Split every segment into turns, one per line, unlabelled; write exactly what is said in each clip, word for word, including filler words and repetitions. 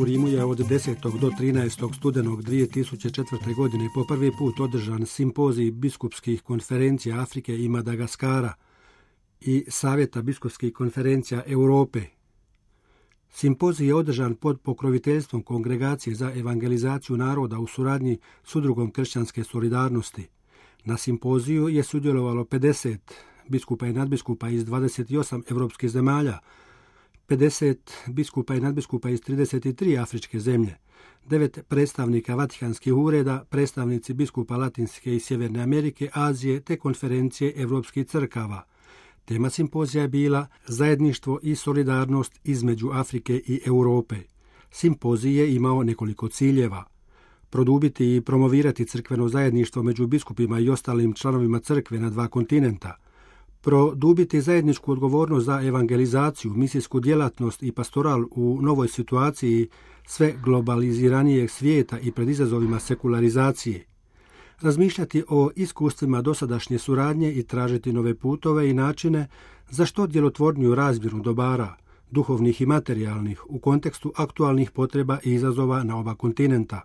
U Rimu je od desetog do trinaestog studenog dvije tisuće četvrte. godine po prvi put održan simpozij biskupskih konferencija Afrike i Madagaskara i Savjeta biskupskih konferencija Europe. Simpozij je održan pod pokroviteljstvom Kongregacije za evangelizaciju naroda u suradnji s Udrugom kršćanske solidarnosti. Na simpoziju je sudjelovalo pedeset biskupa i nadbiskupa iz dvadeset osam europskih zemalja, pedeset biskupa i nadbiskupa iz trideset tri afričke zemlje, devet predstavnika Vatikanskih ureda, predstavnici biskupa Latinske i Sjeverne Amerike, Azije te konferencije europskih crkava. Tema simpozija je bila zajedništvo i solidarnost između Afrike i Europe. Simpozij je imao nekoliko ciljeva. Produbiti i promovirati crkveno zajedništvo među biskupima i ostalim članovima crkve na dva kontinenta. Produbiti zajedničku odgovornost za evangelizaciju, misijsku djelatnost i pastoral u novoj situaciji sve globaliziranijeg svijeta i pred izazovima sekularizacije. Razmišljati o iskustvima dosadašnje suradnje i tražiti nove putove i načine za što djelotvorniju razmjenu dobara, duhovnih i materijalnih, u kontekstu aktualnih potreba i izazova na oba kontinenta.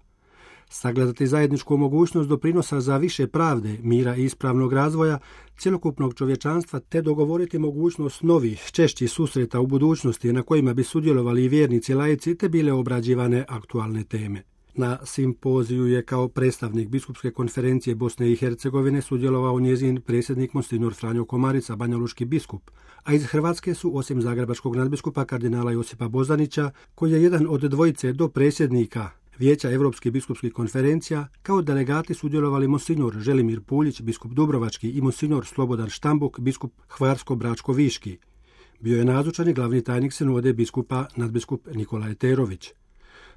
Sagledati zajedničku mogućnost doprinosa za više pravde, mira i ispravnog razvoja cjelokupnog čovječanstva te dogovoriti mogućnost novih, češćih susreta u budućnosti na kojima bi sudjelovali i vjernici laici te bile obrađivane aktualne teme. Na simpoziju je kao predstavnik biskupske konferencije Bosne i Hercegovine sudjelovao njezin predsjednik Monsignor Franjo Komarica, banjalučki biskup, a iz Hrvatske su osim zagrebačkog nadbiskupa kardinala Josipa Bozanića, koji je jedan od dvojice do predsjednika Vijeća Europskih biskupskih konferencija, kao delegati sudjelovali Monsignor Želimir Puljić, biskup Dubrovački i Monsignor Slobodan Štambuk, biskup Hvarsko-Bračko-Viški. Bio je nazočan i glavni tajnik sinode biskupa nadbiskup Nikola Eterović.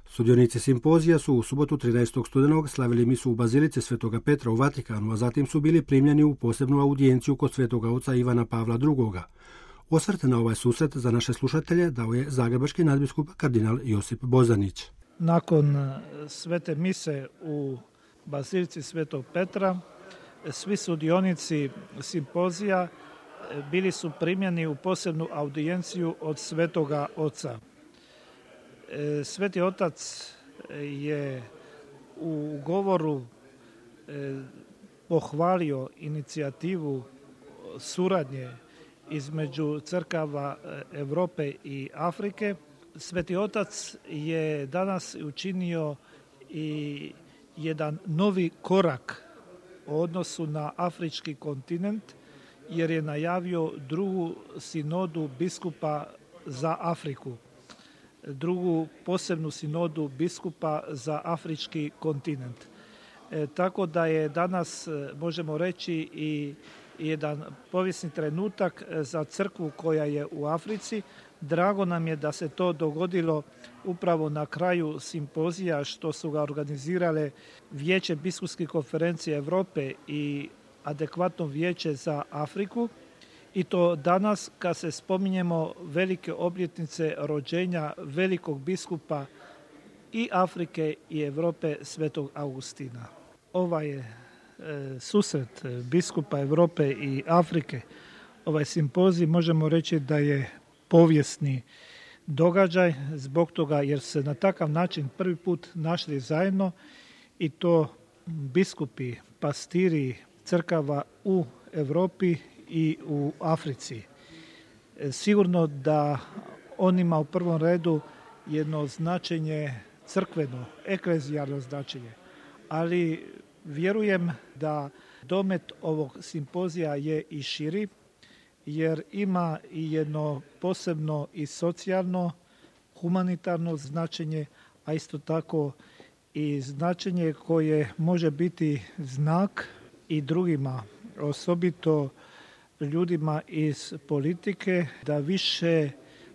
Sudionici simpozija su u subotu trinaestog studenog slavili misu u Bazilici Svetoga Petra u Vatikanu, a zatim su bili primljeni u posebnu audijenciju kod Svetoga oca Ivana Pavla drugoga. Osvrt na ovaj susret za naše slušatelje dao je zagrebački nadbiskup kardinal Josip Bozanić.
Nakon svete mise u Bazilici Svetog Petra, svi sudionici simpozija bili su primljeni u posebnu audijenciju od Svetoga Oca. Sveti Otac je u govoru pohvalio inicijativu suradnje između crkava Europe i Afrike. Sveti Otac je danas učinio i jedan novi korak u odnosu na afrički kontinent, jer je najavio drugu sinodu biskupa za Afriku, drugu posebnu sinodu biskupa za afrički kontinent. E, tako da je danas, možemo reći, i jedan povijesni trenutak za crkvu koja je u Africi. Drago nam je da se to dogodilo upravo na kraju simpozija što su ga organizirale Vijeće biskupskih konferencija Europe i adekvatno vijeće za Afriku. I to danas kad se spominjemo velike obljetnice rođenja velikog biskupa i Afrike i Europe Svetog Augustina. Ovaj je e, susret biskupa Europe i Afrike, ovaj simpozij možemo reći da je povijesni događaj zbog toga jer se na takav način prvi put našli zajedno i to biskupi, pastiri crkava u Europi i u Africi. Sigurno da on ima u prvom redu jedno značenje crkveno, eklezijalno značenje, ali vjerujem da domet ovog simpozija je i širi, jer ima i jedno posebno i socijalno, humanitarno značenje, a isto tako i značenje koje može biti znak i drugima, osobito ljudima iz politike, da više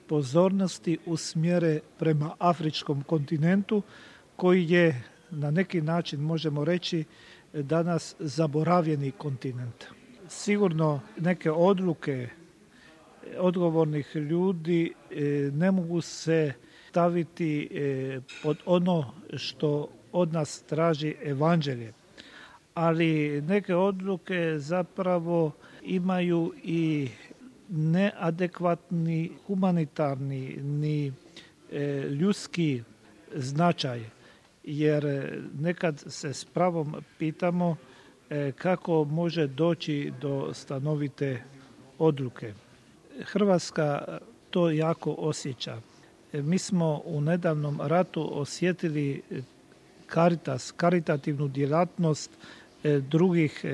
pozornosti usmjere prema afričkom kontinentu koji je na neki način, možemo reći, danas zaboravljeni kontinent. Sigurno neke odluke odgovornih ljudi ne mogu se staviti pod ono što od nas traži evanđelje, ali neke odluke zapravo imaju i neadekvatni humanitarni ni ljudski značaj, jer nekad se s pravom pitamo kako može doći do stanovite odluke. Hrvatska to jako osjeća. Mi smo u nedavnom ratu osjetili Caritas, karitativnu djelatnost drugih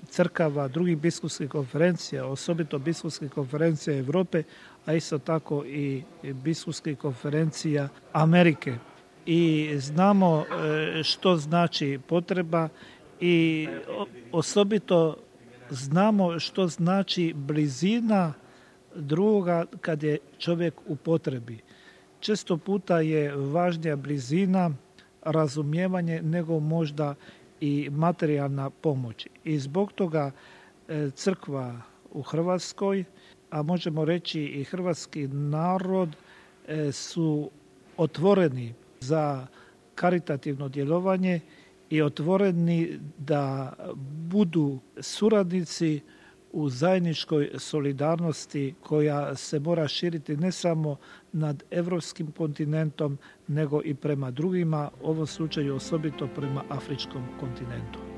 crkava, drugih biskupskih konferencija, osobito biskupskih konferencija Europe, a isto tako i biskupskih konferencija Amerike. I znamo što znači potreba i osobito znamo što znači blizina drugoga kad je čovjek u potrebi. Često puta je važnija blizina, razumijevanje nego možda i materijalna pomoć. I zbog toga crkva u Hrvatskoj, a možemo reći i hrvatski narod, su otvoreni za karitativno djelovanje i otvoreni da budu suradnici u zajedničkoj solidarnosti koja se mora širiti ne samo nad europskim kontinentom, nego i prema drugima, u ovom slučaju osobito prema afričkom kontinentu.